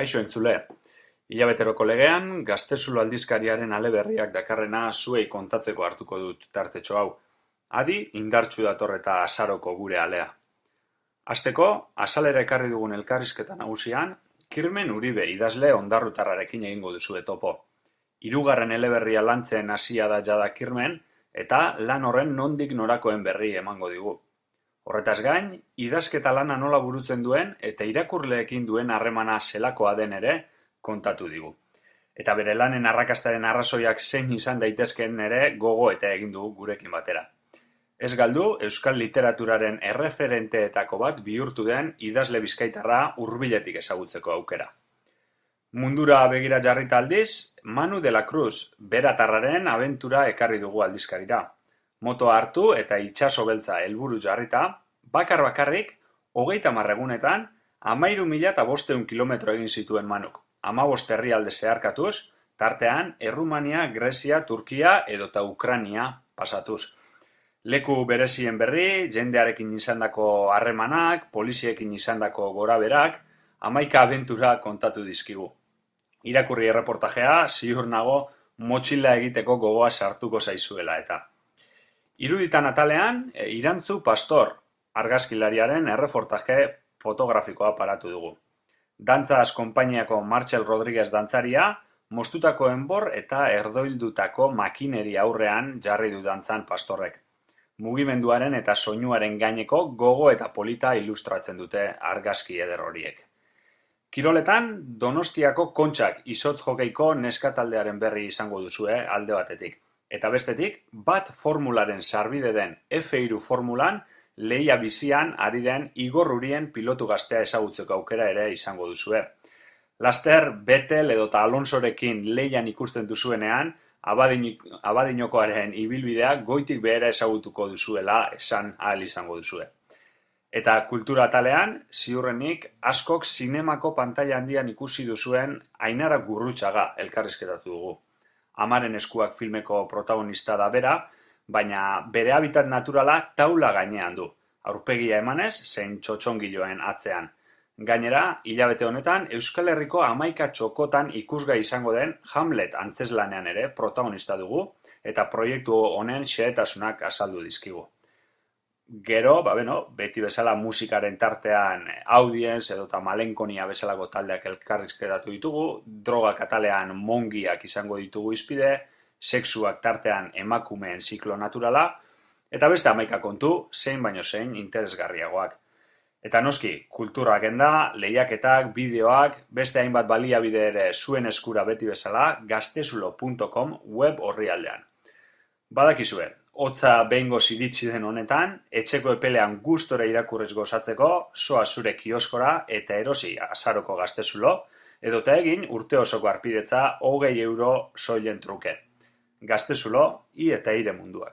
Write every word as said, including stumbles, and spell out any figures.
Kaixo entzule, hilabeteroko legean, Gaztezulo aldizkariaren aleberriak dakarrena zuei kontatzeko hartuko dut tartetxo hau. Adi, indartsu dator eta azaroko gure alea. Hasteko, azalera ekarri dugun elkarrizketa nagusian, Kirmen Uribe idazle ondarrutarrarekin egingo duzue topo. Hirugarren eleberria lantzen hasia da jada Kirmen, eta lan horren nondik norakoen berri emango digu. Horretaz gain, idazketa lana nola burutzen duen eta irakurleekin duen harremana zelakoa den ere kontatu digu. Eta bere lanen arrakastaren arrazoiak zein izan daitezkeen ere gogo eta egin dugu gurekin batera. Ez galdu, euskal literaturaren erreferenteetako bat bihurtu den idazle bizkaitarra hurbiletik ezagutzeko aukera. Mundura begira jarrita aldiz, Manu de la Cruz beratarraren abentura ekarri dugu aldizkarira. Motoa hartu eta itsaso beltza helburu jarrita, bakar bakarrik, hogeita hamar egunetan, hamairu mila eta bostehun kilometro egin zituen Manuk. Hamabost herrialde zeharkatuz, tartean Errumania, Grezia, Turkia edota Ukrania pasatuz. Leku berezien berri, jendearekin izandako harremanak, poliziekin izandako goraberak, hamaika abentura kontatu dizkigu. Irakurri erreportajea, ziur nago motxila egiteko gogoa sartuko zaizuela eta. Iruditan atalean, Irantzu Pastor, argazkilariaren erreportaje fotografikoa paratu dugu. Dantzaz konpainiako Martxel Rodriguez dantzaria, mostutako enbor eta erdoildutako makineri aurrean jarri du dantzan Pastorrek. Mugimenduaren eta soinuaren gaineko gogo eta polita ilustratzen dute argazki eder horiek. Kiroletan, Donostiako Kontxak izotz jokeiko neskataldearen berri izango duzue alde batetik. Eta bestetik, bat formularen sarbide den F hiru formulan lehia bizian ari den Igor Urien pilotu gaztea ezagutzeko aukera ere izango duzue. Laster, Betel edota Alonsorekin lehian ikusten duzuenean, Abadinokoaren ibilbidea goitik behera ezagutuko duzuela esan ahal izango duzue. Eta kultura atalean, ziurrenik, askok zinemako pantaila handian ikusi duzuen Ainara Gurrutxaga elkarrizketatu dugu. Amaren eskuak filmeko protagonista da bera, baina bere habitat naturala taula gainean du, aurpegia emanez zein txotxongiloen atzean. Gainera, hilabete honetan, Euskal Herriko hamaika txokotan ikusgai izango den Hamlet antzeslanean ere protagonista dugu, eta proiektu honen xehetasunak azaldu dizkigu. Gero, ba beno, beti bezala musikaren tartean Audience edota Malenkonia bezalako taldeak elkarrizketatu ditugu, drogak atalean mongiak izango ditugu izpide, sexuak tartean emakumeen ziklo naturala, eta beste hamaika kontu, zein baino zein interesgarriagoak. Eta noski, kultura agenda, lehiaketak, bideoak, beste hainbat baliabide ere zuen eskura beti bezala, gaztezulo puntu com web orrialdean. Badakizue, hotza behingoz iritsi den honetan, etxeko epelean gustora irakurrez gozatzeko, soa zure kioskora eta erosi azaroko Gaztezulo, edota egin urte osoko arpidetza hogei euro soilen truke. Gaztezulo, i eta ire munduak.